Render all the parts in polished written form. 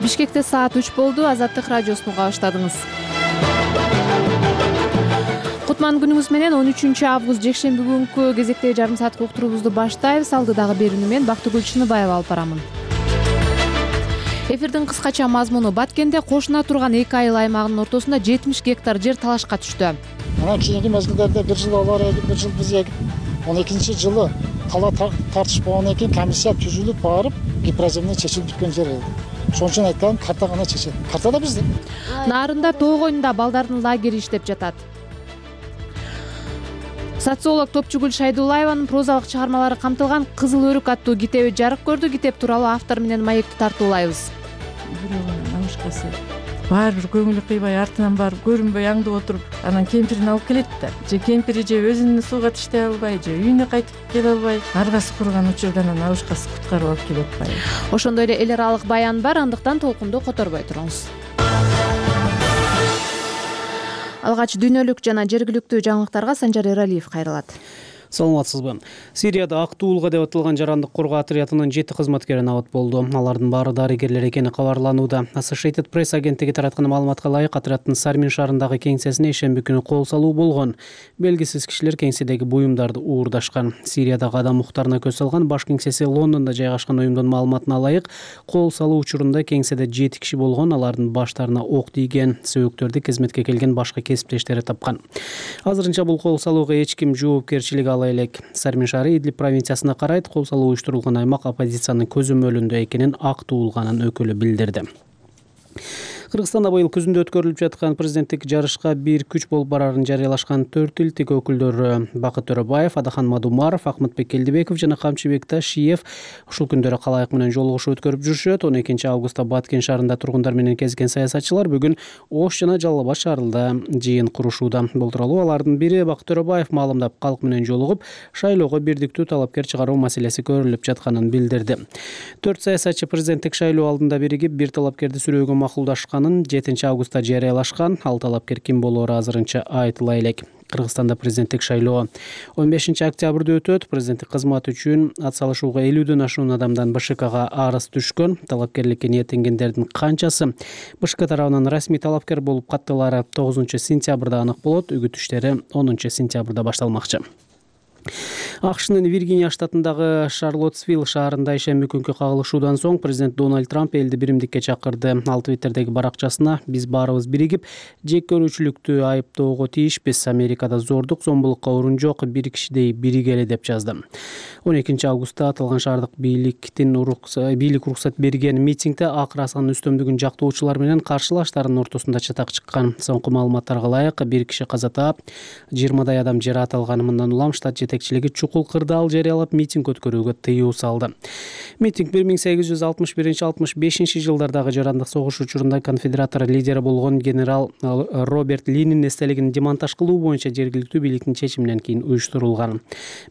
Бишкекте саат 3 болду. Азаттык радиосун уга баштадыңыз. Кутман күнүңүз менен 13 август жекшемби күнкү кезектеги жарым сааттык уктуруубузду баштайбыз. Алдыдагы берүүнү мен Бактыгүл Чыныбаева алып барамын. Эфирдин кыскача мазмуну: Баткенде кошуна турган 2 айыл аймагынын ортосунда 70 гектар жер талашка түштү. Анан кийинки мезгилдерде бир жыл алар эгип, бир жыл биз эгип, 12-жылы тала тартыш болгондон кийин комиссия түзүлүп барып, гипроземден чечилип бүткөн жер. Ошон үчүн айткан карта гана чечет. Картада биздин. Нарында тоо койнунда балдардын лагери иштеп жатат. Социолог Топчугүл Шайдуллаеванын прозалык чыгармалары камтылган Кызыл өрүк аттуу китеби жарык көрдү. Китеп тууралуу автор менен маекти тартуулайбыз. Бирөөнүн намышкасы баары бир көңүлү кыйбай, артынан барып көрүнбөй аңдып отуруп, анан кемпирин алып келет да. Же кемпири же өзүн сууга таштай албай, же үйүнө кайтып келе албай, аргасы курган учурда анан намышкасы куткарып алып келип атпайбы. Ошондой эле эл аралык баян бар, андыктан толкунду которбой туруңуз. Алгач дүйнөлүк жана жергиликтүү жаңылыктарга Санжар Эралиев кайрылат. Саламатсызбы? Сирияда ак туулга деп аталган жарандык коргоо отрядынын 7 кызматкери набат болду. Алардын баары дарыгерлер экени кабарланууда. Associated Press агенттиги тараткан маалыматка ылайык, отряддын Сармин шаарындагы кеңсесине ишемби күнү кол салуу болгон. Белгисиз кишилер кеңседеги буюмдарды уурдашкан. Сириядагы адам укуктарына көз салган баш кеңсеси Лондондо жайгашкан уюмдун маалыматына ылайык, кол салуу учурунда кеңседе 7 киши болгон. Алардын баштарына ок тийген. Сөөгүктөрдү кызметке келген башка кесиптештери тапкан. Азырынча бул кол салууга эч ким жоопкерчилик ала элек. Сармин шаары Идлиб провинциясына карайт. Кол салуу уюштурулган аймак оппозициянын көзөмөлүндө экенин ак туулганын өкүлү билдирди. Кыргызстанда быйыл күзүндө өткөрүлүп жаткан президенттик жарышка бир күч болуп барарын жарыялашкан 4 илтик өкүлдөрү Бакыт Төрөбаев, Адахан Мадумаров, Акмытбек Келдибеков жана Камчыбек Ташиев ушул күндөрү калайык менен жолугушуу өткөрүп жүрүшөт. 12-августта Баткен шаарында тургундар менен кезген саясатчылар бүгүн Ош жана Жалал Абад шаарында жыйын курушууда. Бул тууралуу алардын бири Бакыт Төрөбаев маалымдап, калк менен жолугуп, шайлоого бирдиктүү талапкер чыгаруу маселеси көрүлүп жатканын билдирди. 4 саясатчы президенттик шайлоо алдында биригип, бир талапкерди сүрөөгө макулдашкан. 7-августта жарыялашкан. Ал талапкер ким болоору азырынча айтыла элек. Кыргызстанда президенттик шайлоо 15-октябрда өтөт. Президенттик кызмат үчүн ат салышууга 50дөн ашуун адамдан БШКга арыз түшкөн. Талапкерликке ниеттенгендердин канчасы БШК тарабынан расмий талапкер болуп каттылары 9-сентябрда анык болот. Үгүт иштери 10-сентябрда башталмакчы. АКШнын Виргиния штатындагы Шарлоттсвилл шаарында ишемби күнкү кагылышуудан соң президент Дональд Трамп элди биримдикке чакырды. Ал Твиттердеги баракчасына: "Биз баарыбыз биригип, жек көрүүчүлүктү айыптоого тийишпиз. Америкада зордук, зомбулукка орун жок, бир кишидей биригели" деп жазды. 12-августта аталган шаардык бийлик уруксат берген митингде ак расанын үстөмдүгүн жактоочулар менен каршылаштардын ортосунда чатак чыккан. Соңку маалыматтарга ылайык, бир киши каза таап, 20дай адам жараат алган. Мындан улам штат жетекчилиги чукул кырдаал жарыялап, митинг өткөрүүгө тыюу салды. Митинг 1861-65 жылдардагы жарандык согуш учурунда конфедератор лидери болгон генерал Роберт Линин эстелигин демонтаж кылуу боюнча жергиликтүү бийликтин чечиминен кийин уюштурулган.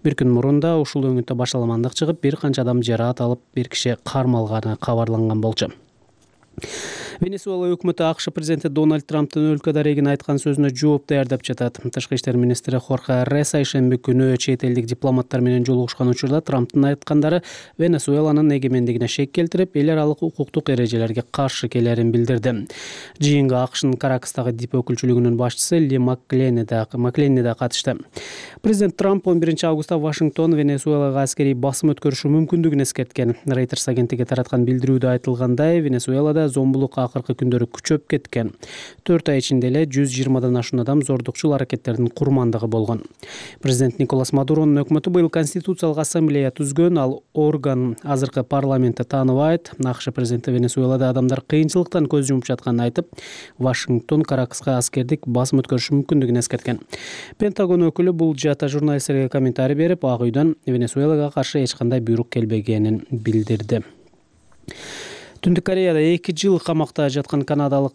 Бир күн мурун да ушул өңүттө башаламандык чыгып, бир канча адам жараат алып, бир киши кармалганы кабарланган болчу. Венесуэла өкмөтү АКШ президенти Дональд Трамптын өлкө дарегин айткан сөзүнө жооп даярдап жатат. Тышкы иштер министри Хорхе Реса ишемби күнү чет элдик дипломаттар менен жолугушкан учурда Трамптын айткандары Венесуэланын эгемендигине шек келтирип, эл аралык укуктук эрежелерге каршы келерин билдирди. Жыйынга АКШнын Каракастагы дип өкүлчүлүгүнүн башчысы Ли Макленни да катышты. Президент Трамп 11-августта Вашингтон Венесуэлага аскерий басым өткөрүшү мүмкүндүгүн эскерткен. Reuters агенттиги тараткан билдирүүдө айтылгандай, Венесуэлада зомбулук акыркы күндөрү күчөп кеткен. 4 ай ичинде эле 120дан ашуун адам зордукчул аракеттердин курмандыгы болгон. Президент Николас Мадуронун өкмөтү быйыл конституциялык ассамблея түзгөн. Ал орган азыркы парламентти тааныбайт. АКШ президенти Венесуэлада адамдар кыйынчылыктан көз жумуп жатканын айтып, Вашингтон Каракаска аскердик басым өткөрүшү мүмкүндүгүн эскерткен. Пентагон өкүлү бул жаата журналисттерге комментарий берип, Ак үйдөн Венесуэлага каршы эч кандай буйрук келбегенин билдирди. Түндүк Кореяда 2 жыл камакта жаткан канадалык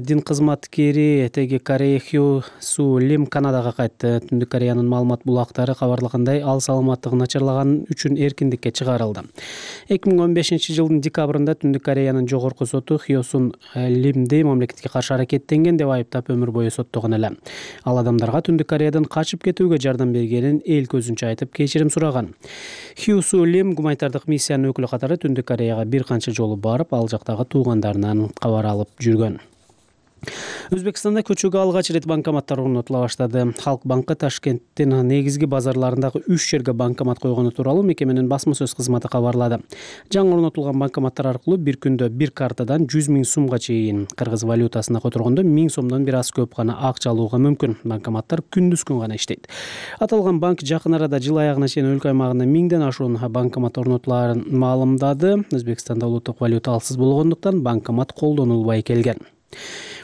дин кызматкери Теги Карей Хью Су Лим Канадага кайтты. Түндүк Кореянын маалымат булактары кабарлагандай, ал саламаттыгы начарлаган үчүн эркиндикке чыгарылды. 2015-жылдын декабрында Түндүк Кореянын жогорку соту Хью Сун Лимди мамлекетке каршы аракеттенген деп айыптап өмүр бою соттогон эле. Ал адамдарга Түндүк Кореядан качып кетүүгө жардам бергенин эл көзүнчө айтып кечирим сураган. Хью Су Лим гуманитардык миссиянын өкүлү катары Түндүк Кореяга бир канча жолу барып, ал жактагы туугандарынан кабар алып жүргөн. Өзбекстанда көчөгө алгач ирет банкоматтар орнотула баштады. Халк банкы Ташкенттин негизги базарларындагы 3 жерге банкомат койгону тууралуу мекеменин басма сөз кызматы кабарлады. Жаңы орнотулган банкоматтар аркылуу бир күндө бир картадан 100 000 сомго чейин, кыргыз валютасына которгондо 1000 сомдон бир аз көп гана акча алууга мүмкүн. Банкоматтар күндүз күн гана иштейт. Аталган банк жакын арада жыл аягына чейин өлкө аймагында 1000ден ашуун банкомат орнотуларын маалымдады. Өзбекстанда улуттук валюта алсыз болгондуктан банкомат колдонулбай келген.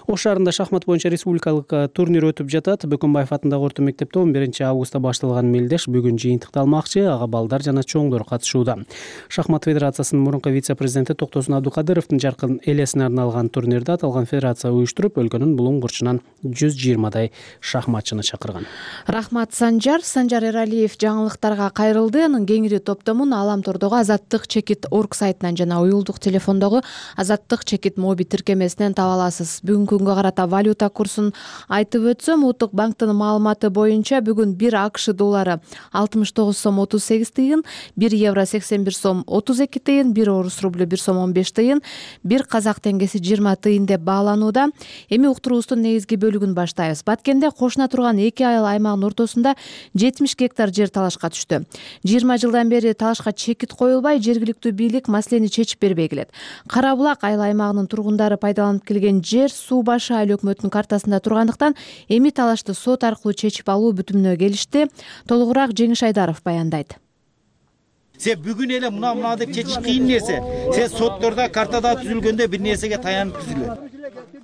Ош шаарында шахмат боюнча республикалык турнир өтүп жатат. Бөкөнбаев атындагы орто мектепте 11-августта башталган мелдеш бүгүн жыйынтыкталмакчы. Ага балдар жана чоңдор катышууда. Шахмат федерациясынын мурунку вице-президенти Токтосун Абдукадыровдун жаркын элесине арналган турнирде аталган федерация уюштуруп, өлкөнүн булуң бурчунан 120дай шахматчыны чакырган. Рахмат Санжар Эралиев жаңылыктарга кайрылды. Анын кеңири топтомун Аламтордогу Азаттык чекит орг сайтынан жана уюлдук телефондогу Азаттык чекит моби тиркемесинен таба аласыз. Бүгүнкү күнгө карата валюта курсун айтып өтсөм, Улуттук банктын маалыматы боюнча бүгүн 1 АКШ доллары 69 сом 38 тыйын, 1 евро 81 сом 32 тыйын, 1 орус рублю 1 сом 15 тыйын, 1 казак теңгеси 20 тыйын деп бааланууда. Эми уктуруубуздун негизги бөлүгүн баштайбыз. Баткенде кошуна турган 2 айыл аймагынын ортосунда 70 гектар жер талашка түштү. 20 жылдан бери талашка чекит коюлбай, жергиликтүү бийлик маселени чечип бербей келет. Кара Булак айыл аймагынын тургундары пайдаланып келген жер Суу Башы айыл өкмөтүнүн картасында тургандыктан эми талашты сот аркылуу чечип алуу бүтүмүнө келишти. Толугураак Жеңиш Айдаров баяндайт. Се бүгүн эле мына деп чечиш кыйын нерсе. Се соттордо картада түзүлгөндө бир нерсеге таянып түзүлөт.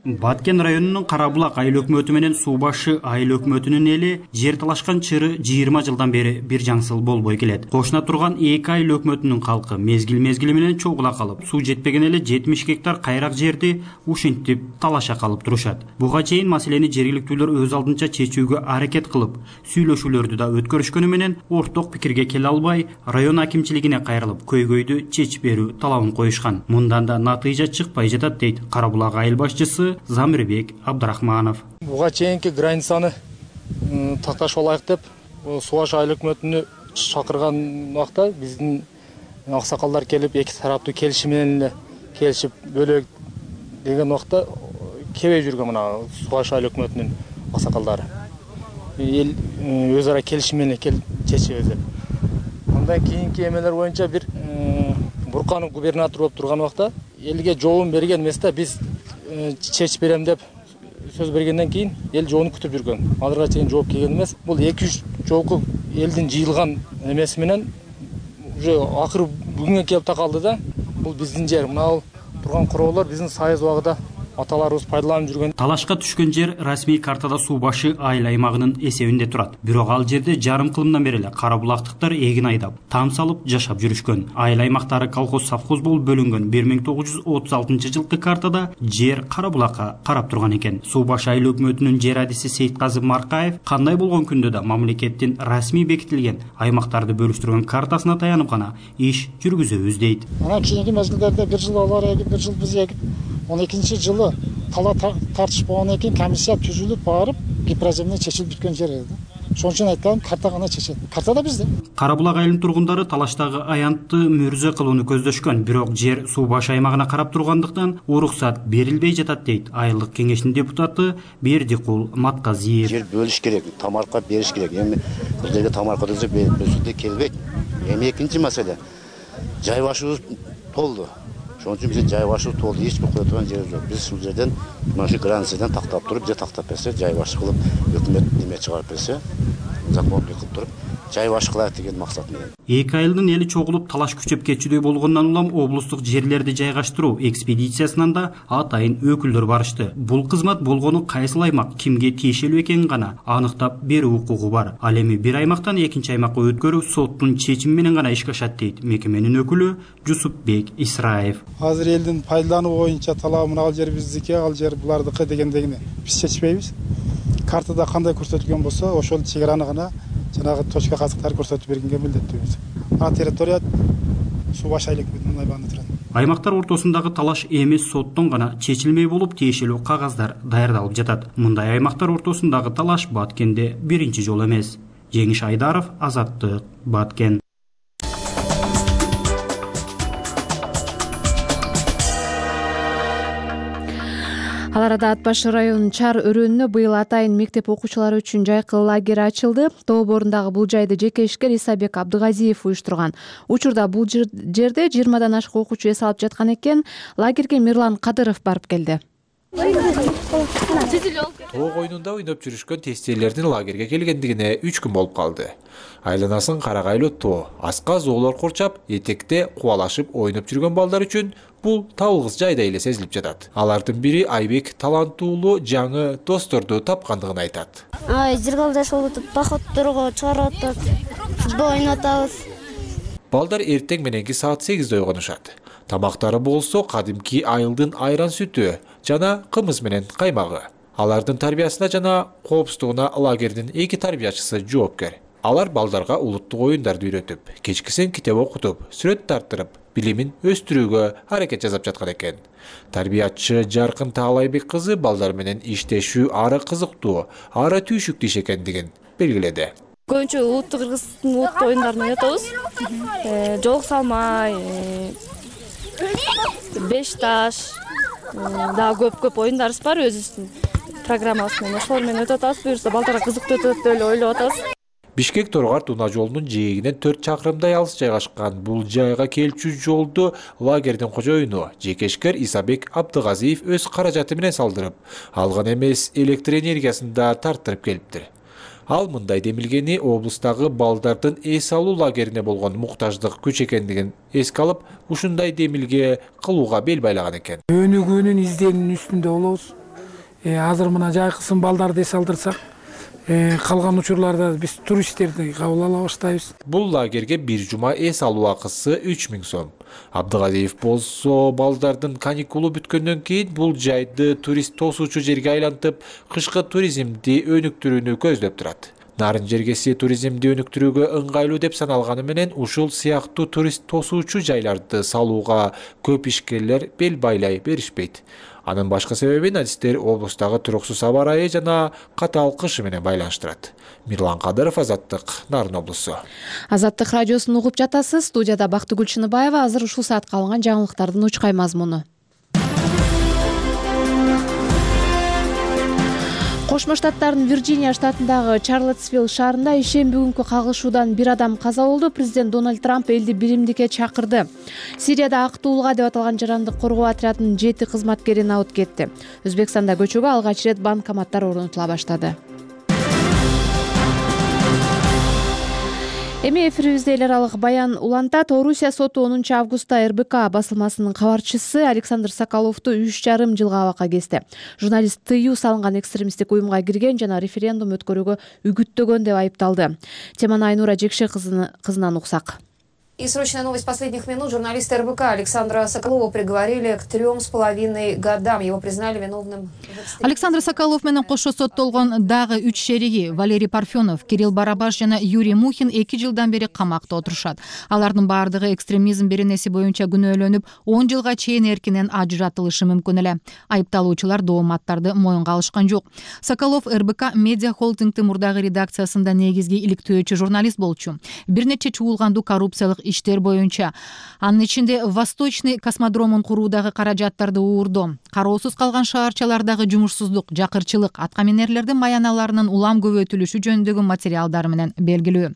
Баткен районунун Кара Булак айыл өкмөтү менен Суу Башы айыл өкмөтүнүн эли жер талашкан чыры 20 жылдан бери бир жаңсыл болбой келет. Кошуна турган 2 айыл өкмөтүнүн калкы мезгил менен чогула калып, суу жетпеген эле 70 гектар кайрак жерди ушинтип талаша калып турушат. Буга чейин маселени жергиликтүүлөр өз алдынча чечүүгө аракет кылып, сүйлөшүүлөрдү да өткөрүшкөнү менен орток пикирге келе албай, район акимчилигине кайрылып, көйгөйдү чечип берүү талабын коюшкан. Мындан да натыйжа чыкпай жатат дейт Кара Булак айыл башчысы Замирбек Абдрахманов. Буга чейинки границаны такташып алайык деп Суу Башы айыл өкмөтүнү чакырган убакта биздин аксакалдар келип, эки тараптуу келишим менен эле келишип бөлөк деген убакта кебей жүргөн мына Суу Башы айыл өкмөтүнүн аксакалдары. Эл өз ара келишим менен чечебиз деп. Андан кийинки эмелер боюнча бир Бурканов губернатор болуп турган убакта элге жообун берген эмес да, биз чечип берем деп сөз бергенден кийин эл жоону күтүп жүргөн. Азырга чейин жооп келген эмес. Бул 2-3 жолку элдин жыйылган эмеси менен уже акыры бүгүнгө келип такалды да. Бул биздин жер. Мына турган короолор биздин сайыз убагында аталарыбыз пайдаланып жүргөн. Талашка түшкөн жер расмий картада Суу Башы айыл аймагынын эсебинде турат. Бирок ал жерде жарым кылымдан бери эле Кара Булактыктар эгин айдап, там салып жашап жүрүшкөн. Айыл аймактары колхоз-совхоз болуп бөлүнгөн 1936-жылкы картада жер Кара Булакка карап турган экен. Суу Башы айыл өкмөтүнүн жер адиси Сейитказы Маркаев кандай болгон күндө да мамлекеттин расмий бекитилген аймактарды бөлүштүргөн картасына таянып гана иш жүргүзөбүз дейт. Анан кийинки мезгилдерде бир жыл алар эгип, бир жыл биз эгип, 12-жылы тала тартыш болгондон кийин комиссия түзүлүп барып, гипроземден чечилип бүткөн жер эди. Ошон үчүн айтканым, карта гана чечет. Картада бизде. Кара Булак айылынын тургундары талаштагы аянтты мөрзө кылууну көздөшкөн, бирок жер Суу Башы аймагына карап тургандыктан уруксат берилбей жатат дейт айылдык кеңештин депутаты Бердикул Матказиев. Жер бөлүш керек, тамарка бериш керек. Эми бул жерге тамарка берүүсү келбейт. Эми экинчи маселе, жай башыбыз толду. Ошон үчүн биз жай башы толду, эч бир кое турган жерибиз жок. Биз ушул жерден мына ушу границадан тактап туруп, же тактап берсе, жай башы кылып, өкмөт неме чыгарып берсе, закондуу кылып туруп, жай башы кылайык деген максат менен. Эки айылдын эли чогулуп талаш күчөп кетчүдөй болгондон улам облустук жерлерди жайгаштыруу экспедициясынан да атайын өкүлдөр барышты. Бул кызмат болгону кайсыл аймак кимге тиешелүү экенин гана аныктап берүү укугу бар. Ал эми бир аймактан экинчи аймакка өткөрүү соттун чечими менен гана ишке ашат дейт мекеменин өкүлү Жусупбек Исраев. Азыр элдин пайдалануу боюнча талабын ал жер биздики, ал жер булардыкы дегендегини биз чечпейбиз. Картада кандай көрсөтүлгөн болсо, ошол чек араны гана жанагы точка казыктар көрсөтүп бергенге милдеттүүбүз. Ана территория Суу Башы айыл өкмөтүнүн аймагында турат. Аймактар ортосундагы талаш эмес соттон гана чечилмей болуп, тиешелүү кагаздар даярдалып жатат. Мындай аймактар ортосундагы талаш Баткенде биринчи жолу эмес. Жеңиш Айдаров, Азаттык, Баткен. Ал арада Ат башы районунун Чар өрөөнүнө быйыл атайын мектеп окуучулары үчүн жайкы лагерь ачылды. Тоо борундағы бул жайды жеке ишкер Исабек Абдыгазиев уюштурган. Учурда бул жерде 20дан ашык окуучу эс алып жаткан экен. Лагерге Мирлан Кадыров барып келди. Тоо коюнунда ойноп жүрүшкөн тестелердин лагерге келгендигине 3 күн болуп калды. Айланасын карагайлуу тоо, аска зоолор курчап, этекте кубалашып ойноп жүргөн балдар үчүн бул табылгыс жайдай эле сезилип жатат. Алардын бири Айбек таланттуулуу жаңы досторду тапкандыгын айтат. Жыргалдаш болуп атат, походторго чыгарып атат, футбол ойнотабыз. Балдар эртең мененки саат 8де ойгонушат. Тамактары болсо кадимки айылдын айран сүтү жана кымыз менен каймагы. Алардын тарбиясына жана коопсуздугуна лагердин 2 тарбиячысы жоопкер. Алар балдарга улуттук оюндарды үйрөтүп, кечкисен китеп окутуп, сүрөт тартырып, билимин өстүрүүгө аракет жасап жаткан экен. Тарбиячы Жаркын Таалайбек кызы балдар менен иштешүү ары кызыктуу, ары түйшүктүү иш экендигин белгиледи. Көбүнчө улуттук кыргыздын улуттук оюндарын ойнотобуз. Жолук салмай, 5 таш, дагы көп оюндарыбыз бар өзүбүздүн программабыз менен. Ошолор менен өтүп атабыз. Буюрса балдарга кызыктуу өтөт деп эле ойлоп атабыз. Бишкек-Торгар унаа жолунун жээгинен 4 чакырымдай алыс жайгашкан бул жайга келчү жолду лагердин кожоюну жекешкер Исабек Абдыгазиев өз каражаты менен салдырып, алган эмес электр энергиясын да тарттырып келиптир. Ал мындай демилгени облустагы балдардын эс алуу лагерине болгон муктаждык күч экендигин эске алып, ушундай демилге кылууга бел байлаган экен. Өнүгүүнүн изденүүнүн үстүндө болобуз. Азыр мына жайкысын балдарды эс алдырсак, калган учурларда биз туристтерди кабыл ала баштайбыз. Бул лагерге бир жума эс алуу акысы 3000 сом. Абдыгазиев болсо балдардын каникулу бүткөндөн кийин бул жайды турист тосуучу жерге айлантып, кышкы туризмди өнүктүрүүнү көздөп турат. Нарын жергеси туризмди өнүктүрүүгө ыңгайлуу деп саналганы менен ушул сыяктуу турист тосуучу жайларды салууга көп ишкерлер бел байлай беришпейт. Анын башка себебин адистер облустагы туруксуз аба ырайы жана катаал кышы менен байланыштырат. Мирлан Кадыров, Азаттык, Нарын облусу. Азаттык радиосун угуп жатасыз. Студияда Бактыгүл Чыныбаева. Азыр ушул саатка алынган жаңылыктардын учкай мазмуну. Кошмо Штаттардын Вирджиния штатындагы Чарлотсвилл шаарында ишемби күнкү кагылышуудан 1 адам каза болду. Президент Дональд Трамп элди биримдикке чакырды. Сирияда Актуулга деп аталган жарандык коргоо отрядынын 7 кызматкерин алып кетти. Өзбекстанда көчөгө алгач ирет банкоматтар орнотула баштады. Эми эфирибизде эл аралык баян улантат. Орусия соту 10 августта РБК басылмасынын кабарчысы Александр Соколовду 3,5 жылга абакка кести. Журналист тыюу салынган экстремисттик уюмга кирген жана референдум өткөрүүгө үгүттөгөн деп айыпталды. Теманы Айнура Жекше кызынан уксак. И срочная новость последних минут. Журналиста РБК Александра Соколова приговорили к 3,5 годам. Его признали виновным. Александр Соколов менен кошо соттолгон дагы 3 шериги Валерий Парфенов, Кирилл Барабаш жана Юрий Мухин 2 жылдан бери камакта отурушат. Алардын баардыгы экстремизм беренеси боюнча күнөөлөнүп, 10 жылга чейин эркинен ажыратылышы мүмкүн эле. Айыпталуучулар дооматтарды моюнга алышкан жок. Соколов РБК Медиа Холдингдин мурдагы редакциясында негизги иликтөөчү журналист болчу. Бир нече чуулгандуу коррупциялык иштер боюнча, анын ичинде Восточный космодромун куруудагы каражаттарды уурдоо, кароосуз калган шаарчалардагы жумушсуздук, жакырчылык, аткаминерлердин маяналарынын улам көбөйтүлүшү жөнүндөгү материалдар менен белгилүү.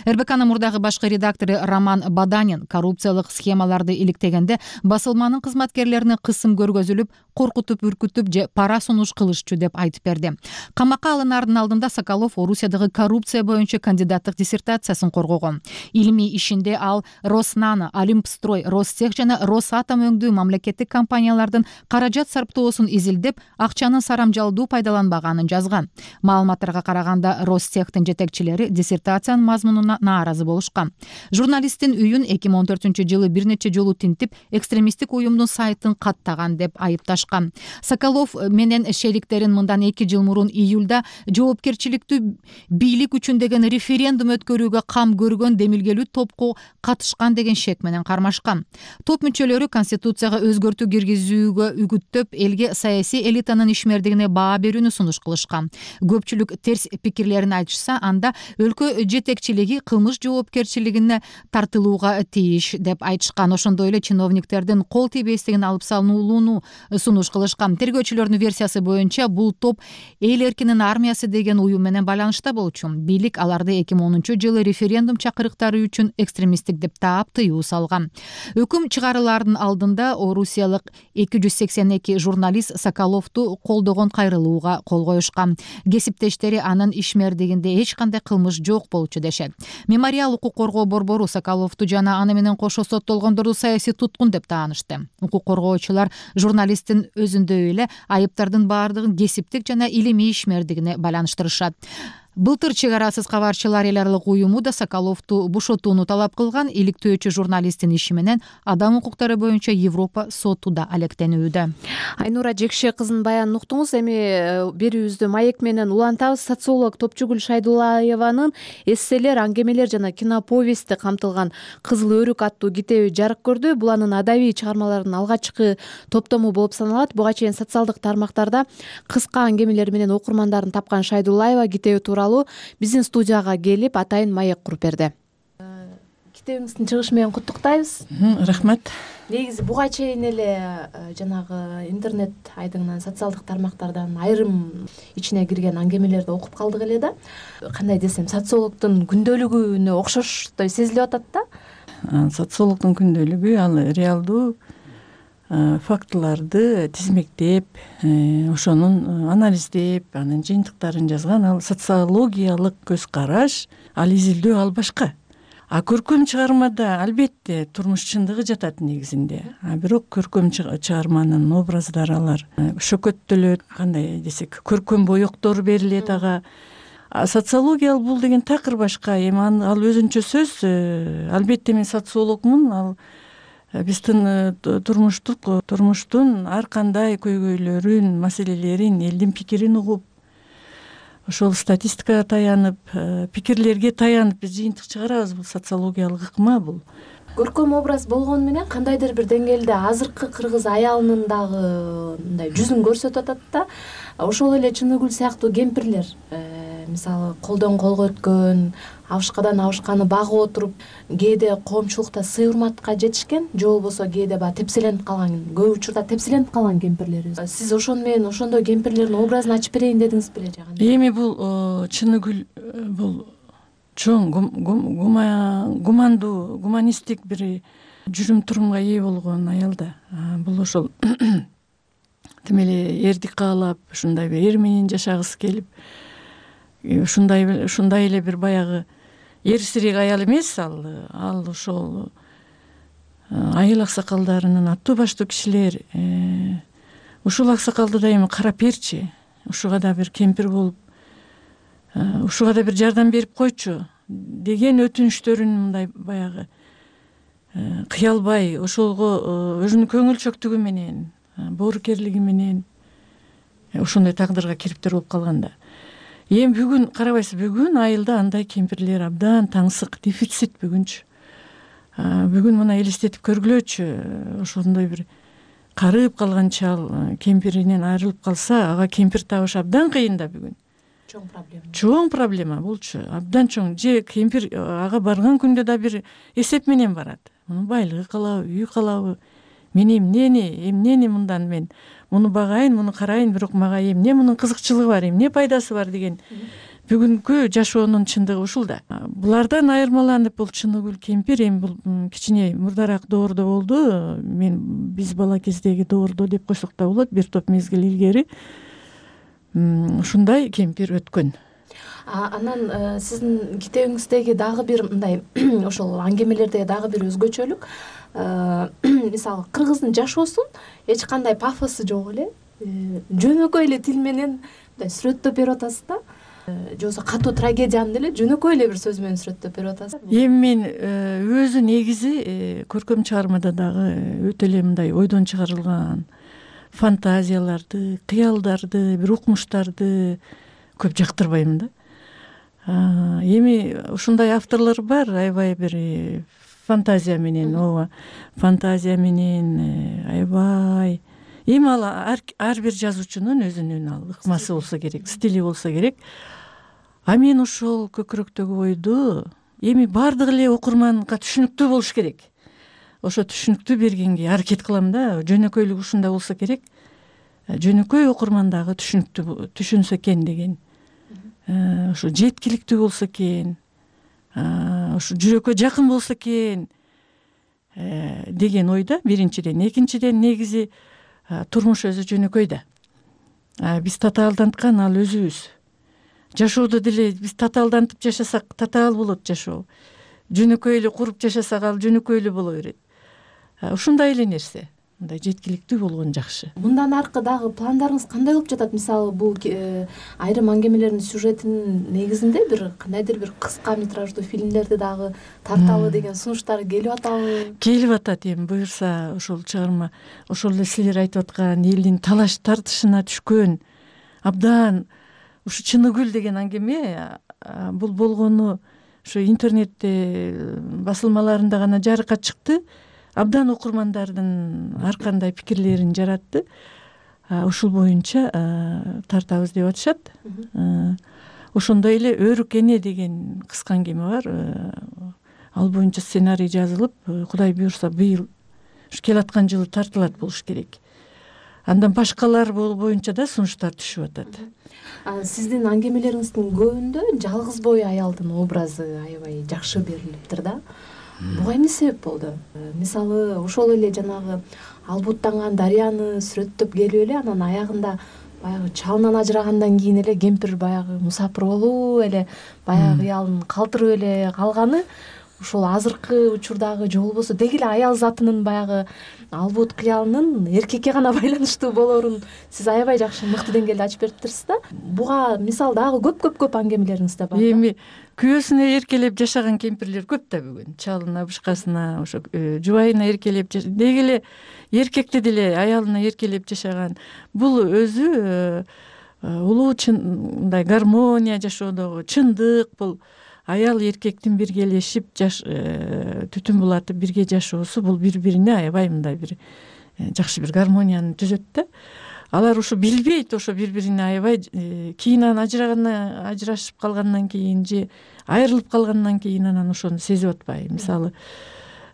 РБКнын мурдагы башкы редактору Роман Баданин коррупциялык схемаларды иликтегенде басылманын кызматкерлерине кысым көргөзүлүп, коркутуп, үркүтүп же пара сунуш кылышчу деп айтып берди. Камакка алынаардын алдында Соколов Орусиядагы коррупция боюнча кандидаттык диссертациясын коргогон. Илимий ишинде ал Роснано, Олимпстрой, Ростех жана Росатом өңдүү мамлекеттик компаниялардын каражат сарптоосун изилдеп, акчанын сарамжалдуу пайдаланбаганын жазган. Маалыматтарга караганда Ростехтин жетекчилери диссертациянын мазмунуна нааразы болушкан. Журналисттин үйүн 2014-жылы бир нече жолу тинтип, экстремисттик уюмдун сайтын каттаган деп айыпташкан. Соколов менен шериктерин мындан 2 жыл мурун июлда жоопкерчиликтүү бийлик үчүн деген референдум өткөрүүгө кам көргөн демилгелүү топко катышкан деген шек менен кармашкан. Топ мүчөлөрү конституцияга өзгөртүү киргизүүгө үгүттөп, элге саясий элитанын ишмердигине баа берүүнү сунуш кылышкан. Көпчүлүк терс пикирлерин айтышса, анда өлкө жетекчилиги кылмыш жоопкерчилигине тартылууга тийиш деп айтышкан. Ошондой эле чиновниктердин кол тийбестигин алып салынууну сунуш кылышкан. Тергөөчүлөрдүн версиясы боюнча бул топ эл эркинин армиясы деген уюм менен байланышта болчу. Бийлик аларды 2010-жылы референдум чакырыктары үчүн экстремисттик деп таап тыюу салган. Өкүм чыгарылаардын алдында орусиялык 282 журналист Соколовду колдогон кайрылууга кол коюшкан. Кесиптештери анын ишмердигинде эч кандай кылмыш жок болчу дешет. Мемориал укук коргоо борбору Соколовду жана аны менен кошо соттолгондорду саясий туткун деп таанышты. Укук коргоочулар журналисттин өзүндөй эле айыптардын баардыгын кесиптик жана илимий ишмердигине байланыштырышат. Былтыр чек арасыз кабарчылар эл аралык уюму да Соколовду бошотууну талап кылган. Иликтөөчү журналисттин иши менен адам укуктары боюнча Европа соту да алектенүүдө. Айнура Жекше кызын баянын уктуңуз. Эми берүүбүздү маек менен улантабыз. Социолог Топчугүл Шайдуллаеванын эсселер, аңгемелер жана киноповести камтылган Кызыл өрүк аттуу китеби жарык көрдү. Бул анын адабий чыгармаларынын алгачкы топтому болуп саналат. Буга чейин социалдык тармактарда кыска аңгемелер менен окурмандарын тапкан Шайдуллаева китеби тууралуу биздин студияга келип атайын маек куруп берди. Китебиңиздин чыгышы менен куттуктайбыз. Рахмат. Негизи буга чейин эле жанагы интернет айдыңынан социалдык тармактардан айрым ичине кирген аңгемелерди окуп калдык эле да. Кандай десем, социологдун күндөлүгүнө окшоштой сезилип атат да. Социологдун күндөлүгү ал реалдуу фактыларды тизмектеп, ошонун анализдеп, анын жыйынтыктарын жазган ал социологиялык көз караш, ал изилдөө, ал башка. Көркөм чыгармада албетте турмуш чындыгы жатат негизинде. Бирок көркөм чыгарманын образдары алар шөкөттөлөт, кандай десек, көркөм боёктор берилет ага. Социология бул деген такыр башка. Эми ал өзүнчө сөз. Албетте мен социологмун. Ал биздин турмуштун ар кандай көйгөйлөрүн, маселелерин, элдин пикирин угуп, ошол статистикага таянып, пикирлерге таянып биз жыйынтык чыгарабыз. Бул социологиялык ыкма бул. Көркөм образ болгону менен кандайдыр бир деңгээлде азыркы кыргыз аялынын дагы мындай жүзүн көрсөтүп атат да. Ошол эле Чыныгүл сыяктуу кемпирлер, мисалы колдон колго өткөн, абышкадан абышканы багып отуруп, кээде коомчулукта сый урматка жетишкен, же болбосо кээде баягы тепселенип калган, көп учурда тепселенип калган кемпирлерибиз. Сиз ошону менен ошондой кемпирлердин образын ачып берейин дедиңиз беле же кандай? Эми бул Чыныгүл бул чоң гумандуу, гуманисттик бир жүрүм турумга ээ болгон аял да. Бул ошол тим эле эрдик каалап, ушундай бир эр менен жашагысы келип, ушундай эле бир баягы эрсирек аял эмес ал. Ал ошол айыл аксакалдарынын аттуу баштуу кишилер, ушул аксакалды да эми карап берчи, ушуга да бир кемпир болуп, ушуга да бир жардам берип койчу деген өтүнүштөрүн мындай баягы кыялбай, ошого өзүнүн көңүлчөктүгү менен, боорукерлиги менен ошондой тагдырга кириптер болуп калган да. Эми бүгүн карабайсыз, бүгүн айылда андай кемпирлер абдан таңсык, дефицит бүгүнчү. Бүгүн мына элестетип көргүлөчү, ошондой бир карып калган чал кемпиринен айрылып калса, ага кемпир табыш абдан кыйын да бүгүн. Чоң проблема булчу, абдан чоң. Же кемпир ага барган күндө да бир эсеп менен барат. Мунун байлыгы калабы, үйү калабы? Мен эмнени мындан мен муну багайын, муну карайын, бирок мага эмне мунун кызыкчылыгы бар, эмне пайдасы бар деген бүгүнкү жашоонун чындыгы ушул да. Булардан айырмаланып бул Чыныгүл кемпир эми бул кичине мурдараак доордо болду. Биз бала кездеги доордо деп койсок да болот, бир топ мезгил илгери ушундай кемпир өткөн. Анан сиздин китебиңиздеги дагы бир мындай ошол аңгемелердеги дагы бир өзгөчөлүк, мисалы кыргыздын жашоосун эч кандай пафосу жок эле, жөнөкөй эле тил менен мындай сүрөттөп берип атасыз да. Же болбосо катуу трагедияны деле жөнөкөй эле бир сөз менен сүрөттөп берип атасыз. Эми мен өзү негизи көркөм чыгармада дагы өтө эле мындай ойдон чыгарылган фантазияларды, кыялдарды, бир укмуштарды көп жактырбайм да. Эми ушундай авторлор бар, аябай бир фантазия менен, ооба, фантазия менен аябай. Эми ал ар бир жазуучунун өзүнүн ал ыкмасы болсо керек, стили болсо керек. А мен ошол көкүрөктөгү ойду эми бардык эле окурманга түшүнүктүү болуш керек. Ошо түшүнүктүү бергенге аракет кылам да. Жөнөкөйлүк ушундай болсо керек. Жөнөкөй окурман дагы түшүнсө экен деген. Ошо жеткиликтүү болсо экен. Ошо жүрөккө жакын болсо экен деген ойда биринчиден. Экинчиден негизи турмуш өзү жөнөкөй да. Биз татаалданткан ал өзүбүз. Жашоодо деле биз татаалдантып жашасак, татаал болот жашоо. Жөнөкөйлүү куруп жашасак, ал жөнөкөйлүү боло берет. Ушундай эле нерсе. Мындай жеткиликтүү болгон жакшы. Мындан аркы дагы пландарыңыз кандай болуп жатат? Мисалы, бул айрым аңгемелердин сюжетинин негизинде бир кандайдыр бир кыска метраждуу фильмдерди дагы тарталы деген сунуштар келип атабы? Келип атат. Эми буюрса ошол чыгарма, ошол эле силер айтып аткан элдин талаш тартышына түшкөн абдан ушу Чыныгүл деген аңгеме бул болгону ошо интернетте басылмаларында гана жарыкка чыкты. Абдан окурмандардын ар кандай пикирлерин жаратты. Ушул боюнча тартабыз деп атышат. Ошондой эле Өрүк эне деген кыска аңгеме бар. Ал боюнча сценарий жазылып, Кудай буйрса быйыл ушу келаткан жылы тартылат болуш керек. Андан башкалар боюнча да сунуштар түшүп атат. Сиздин аңгемелериңиздин көбүндө жалгыз бой аялдын образы аябай жакшы берилиптир да. Буга эмне себеп болду? Мисалы, ошол эле жанагы албуттанган дарыяны сүрөттөп келип эле анан аягында баягы чалынан ажырагандан кийин эле кемпир баягы мусапыр болуп эле баягы ыялын калтырып эле калганы ушул азыркы учурдагы же болбосо деги эле аял затынын баягы албут кыялынын эркекке гана байланыштуу болорун сиз аябай жакшы мыкты деңгээлде ачып бериптирсиз да. Буга мисал дагы көп аңгемелериңизде бар. Эми күйөөсүнө эркелеп жашаган кемпирлер көп да бүгүн. Чалына, бышкасына, ошо жубайына эркелеп деги эле эркекти деле аялына эркелеп жашаган. Бул өзү улуу мындай гармония жашоодогу чындык. Бул аял эркектин биргелешип түтүн булатып бирге жашоосу бул бири-бирине аябай мындай бир жакшы бир гармонияны түзөт да. Алар ушу билбейт, ошо бири-бирине аябай кийин ажырашып калгандан кийин же айрылып калгандан кийин анан ошону сезип атпайбы. Мисалы,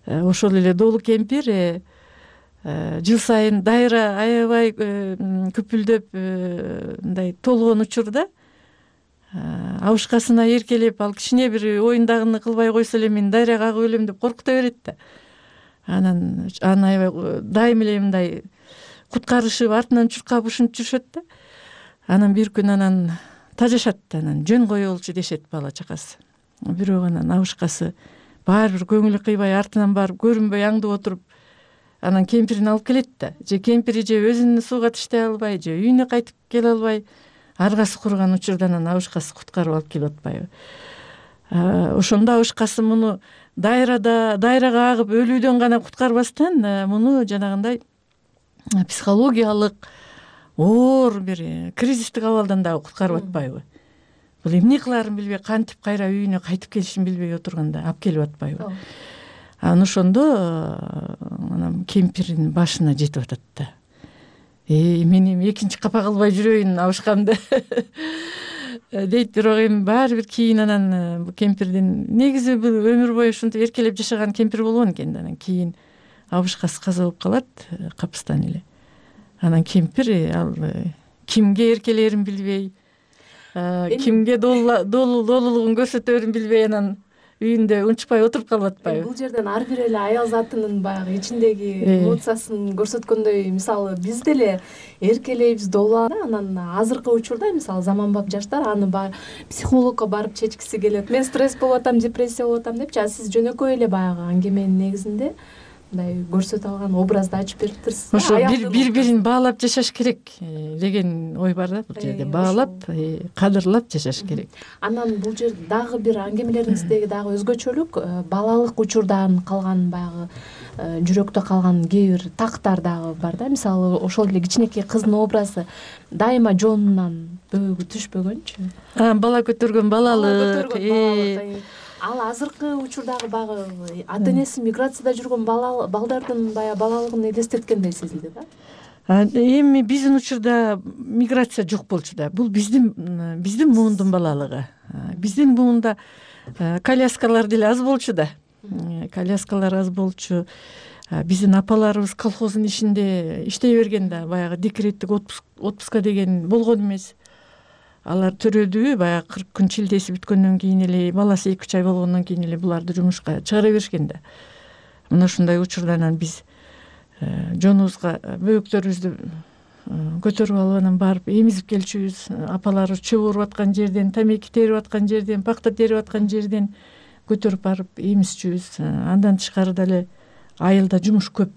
ошол эле Долу кемпир жыл сайын дайра аябай күпүлдөп мындай толгон учурда абышкасына эркелеп, ал кичине бир оюндагыны кылбай койсо эле мен дайрага агып өлөм деп коркута берет да. Анан аябай дайым эле мындай куткарышып, артынан чуркап ушинтип жүрүшөт да. Анан бир күн анан тажашат, анан жөн коелучу дешет бала чакасы. Бирок анан абышкасы баары бир көңүлү кыйбай артынан барып көрүнбөй аңдып отуруп, анан кемпирин алып келет да. Же кемпири же өзүн сууга таштай албай, же үйүнө кайтып келе албай, аргасы курган учурда анан абышкасы куткарып алып келип атпайбы. Ошондо абышкасы муну дайрага агып өлүүдөн гана куткарбастан муну жанагындай психологиялык оор бир кризистик абалдан дагы куткарып атпайбы. Бул эмне кылаарын билбей, кантип кайра үйүнө кайтып келишин билбей отурганда алып келип атпайбы. Анан ошондо анан кемпирдин башына жетип атат да. Мен эми экинчи капа кылбай жүрөйүн абышкамды дейт. Бирок эми баары бир кийин анан кемпирдин негизи бул өмүр бою ушинтип эркелеп жашаган кемпир болгон экен. Анан кийин абышкасы каза болуп калат капыстан эле. Анан кемпир ал кимге эркелерин билбей, кимге долулугун көрсөтөрүн билбей анан үйүндө унчукпай отуруп калып атпайбы. Бул жерден ар бир эле аял затынын баягы ичиндеги эмоциясын көрсөткөндөй, мисалы биз деле эркелейбиз, долуланып, анан азыркы учурда мисалы заманбап жаштар аны психологко барып чечкиси келет. Мен стресс болуп атам, депрессия болуп атам депчи, а сиз жөнөкөй эле баягы аңгеменин негизинде мындай көрсөтө алган образды ачып бериптирсиз. Ошо бири-бирин баалап жашаш керек деген ой бар да бул жерде. Баалап, кадырлап жашаш керек. Анан бул жерде дагы бир аңгемелериңиздеги дагы өзгөчөлүк балалык учурдан калган баягы жүрөктө калган кээ бир тактар дагы бар да. Мисалы, ошол эле кичинекей кыздын образы дайыма жонунан бөөгү түшпөгөнчү. Бала көтөргөн балалык. Ал азыркы учурдагы баягы ата энеси миграцияда жүргөн балдардын баягы балалыгын элестеткендей сезилди да. Эми биздин учурда миграция жок болчу да. Бул биздин муундун балалыгы. Биздин муунда коляскалар деле аз болчу да. Коляскалар аз болчу. Биздин апаларыбыз колхоздун ишинде иштей берген да. Баягы декреттик отпуска деген болгон эмес. Алар төрөдү баягы 40 күн чилдеси бүткөндөн кийин эле, баласы 2-3 ай болгондон кийин эле буларды жумушка чыгара беришкен да. Мына ушундай учурда анан биз жонубузга бөөктөрүбүздү көтөрүп алып анан барып эмизип келчүбүз. Апаларыбыз чөп уруп аткан жерден, тамеки терип аткан жерден, пакта терип аткан жерден көтөрүп барып эмизчүбүз. Андан тышкары деле айылда жумуш көп.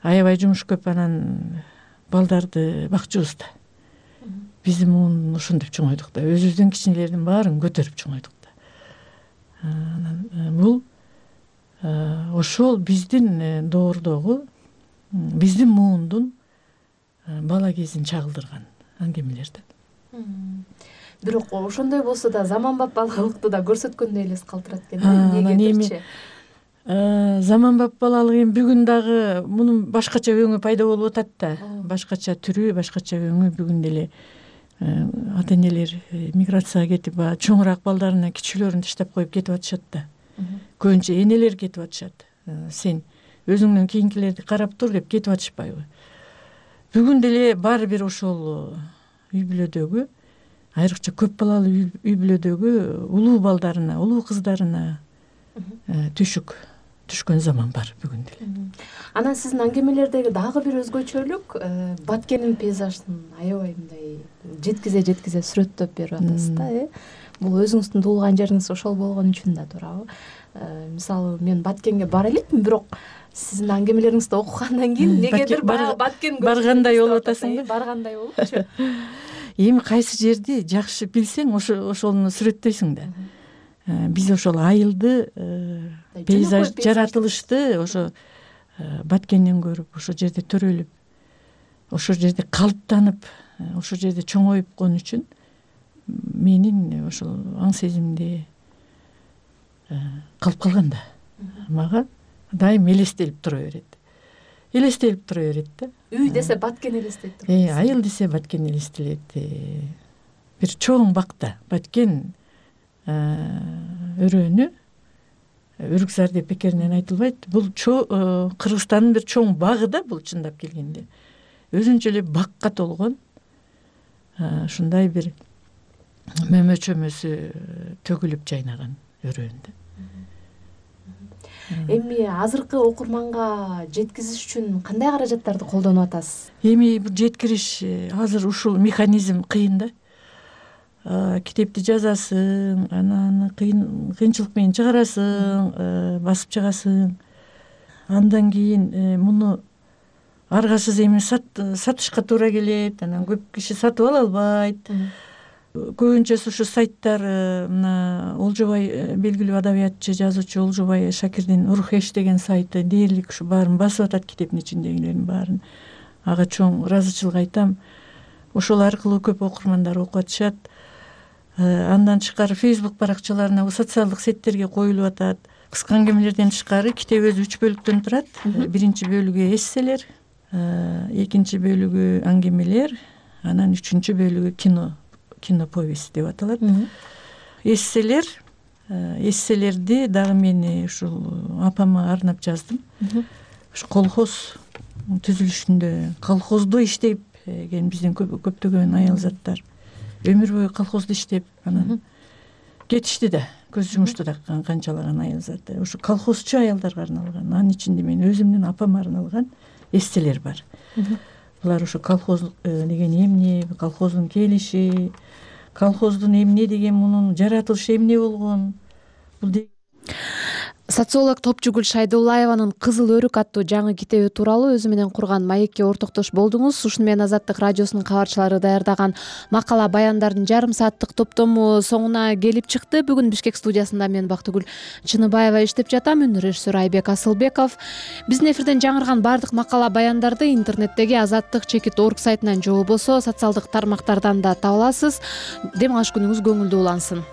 Аябай жумуш көп, анан балдарды бакчубуз да. Биздин муун ошондоп чоңойдук да. Өзүбүздүн кичинелердин баарын көтөрүп чоңойдук да. Анан бул ошол биздин доордогу, биздин муундун бала кезин чагылдырган аңгемелер да. Бирок ошондой болсо да заманбап балалыкты да көрсөткөндөй элес калтырат экен. Эмнегедирчи? Заманбап балалык эми бүгүн дагы мунун башкача өңү пайда болуп атат да. Башкача түрү, башкача өңү бүгүн деле ата энелер миграцияга кетип, чоңураак балдарына кичүүлөрүн таштап коюп кетип атышат да. Көбүнчө энелер кетип атышат. Сен өзүңдөн кийинкилерди карап тур деп кетип атышпайбы? Бүгүн деле баары бир ошол үй бүлөдөгү, айрыкча көп балалуу үй бүлөдөгү улуу балдарына, улуу кыздарына түшкөн заман бар бүгүн деле. Анан сиздин аңгемелердеги дагы бир өзгөчөлүк Баткендин пейзажын аябай мындай жеткизе сүрөттөп берип атасыз да. Бул өзүңүздүн туулган жериңиз ошол болгон үчүн да туурабы? Мисалы мен Баткенге бара элекмин, бирок сиздин аңгемелериңизди окугандан кийин негедир Баткен баргандай болуп атасың да. Баргандай болупчу. Эми кайсы жерди жакшы билсең, ошону сүрөттөйсүң да. Биз ошол айылды, пейзаж, жаратылышты ошо Баткенден көрүп, ошо жерде төрөлүп, ошо жерде калыптанып, ошо жерде чоңоюп кон үчүн менин ошол аң сезимде калып калган да. Мага дайым элестелип тура берет да. Үй десе Баткен элестейт тур. Айыл десе Баткен элестелет. Бир чоң бакта Баткен өрөөнү Үрүксар деп бекеринен айтылбайт. Бул Кыргызстандын бир чоң багы да, бул чындап келгенде. Өзүнчө эле бакка толгон ушундай бир мөмө чөмөсү төгүлүп жайнаган өрөөндө. Эми азыркы окурманга жеткизиш үчүн кандай каражаттарды колдонуп атасыз? Эми бул жеткириш азыр ушул механизм кыйын да. Китепти жазасың, анан кыйынчылык менен чыгарасың, басып чыгасың. Андан кийин муну аргасыз эми сатышка туура келет, анан көп киши сатып ала албайт. Көбүнчөсү ушу сайттар, мына Олжобай белгилүү адабиятчы, жазуучу Олжобай Шакирдин Урхеш деген сайты дээрлик ушу баарын басып атат, китептин ичиндегилердин баарын. Ага чоң ыраазычылык айтам. Ошол аркылуу көп окурмандар окуп атышат. Андан тышкары Facebook баракчаларына, социалдык сеттерге коюлуп атат. Кыска аңгемелерден тышкары китеп өзү 3 бөлүктөн турат. Биринчи бөлүгү эсселер, экинчи бөлүгү аңгемелер, анан үчүнчү бөлүгү киноповесть деп аталат. Эсселерди дагы мен ушул апама арнап жаздым. Ушу колхоз түзүлүшүндө, колхоздо иштеп келген биздин көптөгөн аял заттар өмүр бою колхоздо иштеп, анан кетишти да, көз жумушту да канчалаган аял заттар. Ушу колхозчу аялдарга арналган, анын ичинде мен өзүмдүн апама арналган эсселер бар. Булар ушу колхоз деген эмне, колхоздун келиши, колхоздун эмне деген, мунун жаратылышы эмне болгон. Социолог Топчугүл Шайдуллаеванын Кызыл өрүк аттуу жаңы китеби тууралуу өзү менен курган маекке ортоктош болдуңуз. Ушуну менен Азаттык радиосунун кабарчылары даярдаган макала баяндардын жарым сааттык топтому соңуна келип чыкты. Бүгүн Бишкек студиясында мен Бактыгүл Чыныбаева иштеп жатам, режиссер Айбек Асылбеков. Биздин эфирден жаңырган бардык макала баяндарды интернеттеги azattik.org сайтынан же болбосо социалдык тармактардан да таба аласыз. Дем алыш күнүңүз көңүлдүү улансын.